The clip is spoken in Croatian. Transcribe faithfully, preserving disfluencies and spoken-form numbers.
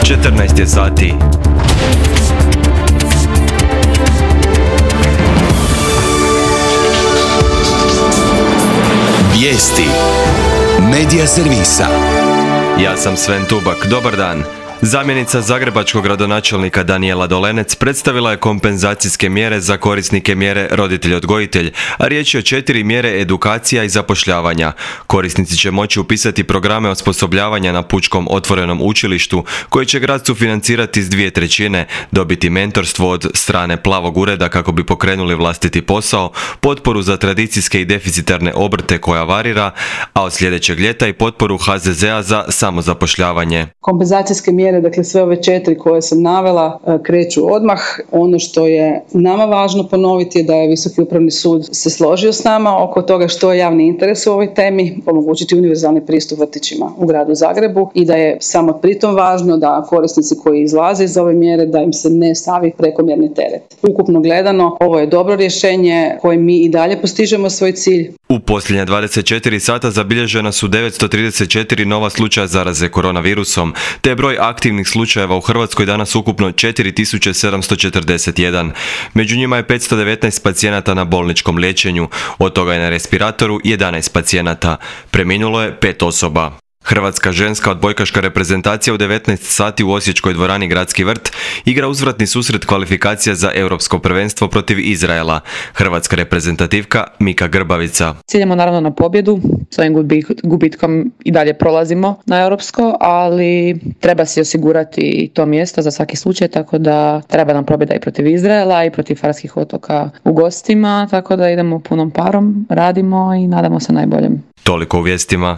četrnaest je sati. Vijesti Medija servisa. Ja sam Sven Tubak, dobar dan. Zamjenica zagrebačkog gradonačelnika Danijela Dolenec predstavila je kompenzacijske mjere za korisnike mjere roditelj-odgojitelj, a riječ je o četiri mjere edukacija i zapošljavanja. Korisnici će moći upisati programe osposobljavanja na Pučkom otvorenom učilištu, koji će grad sufinancirati s dvije trećine, dobiti mentorstvo od strane Plavog ureda kako bi pokrenuli vlastiti posao, potporu za tradicijske i deficitarne obrte koja varira, a od sljedećeg ljeta i potporu ha ze zea za samozapošljavanje. Kompenzacijske mjere, dakle sve ove četiri koje sam navela, kreću odmah. Ono što je nama važno ponoviti je da je Visoki upravni sud se složio s nama oko toga što je javni interes u ovoj temi, omogućiti univerzalni pristup vrtićima u gradu Zagrebu i da je samo pritom važno da korisnici koji izlaze iz ove mjere da im se ne stavi prekomjerni teret. Ukupno gledano, ovo je dobro rješenje kojim mi i dalje postižemo svoj cilj. U posljednja dvadeset četiri sata zabilježena su devetsto trideset četiri nova slučaja zaraze koronavirusom, te je broj aktivnih slučajeva u Hrvatskoj danas ukupno četiri tisuće sedamsto četrdeset jedan. Među njima je petsto devetnaest pacijenata na bolničkom liječenju, od toga je na respiratoru jedanaest pacijenata. Preminulo je pet osoba. Hrvatska ženska odbojkaška reprezentacija u devetnaest sati u osječkoj dvorani Gradski vrt igra uzvratni susret kvalifikacija za europsko prvenstvo protiv Izraela. Hrvatska reprezentativka Mika Grbavica. Ciljamo naravno na pobjedu, s ovim gubitkom i dalje prolazimo na europsko, ali treba si osigurati to mjesto za svaki slučaj, tako da treba nam pobjeda i protiv Izraela i protiv Farskih otoka u gostima, tako da idemo punom parom, radimo i nadamo se najboljem. Toliko u vijestima.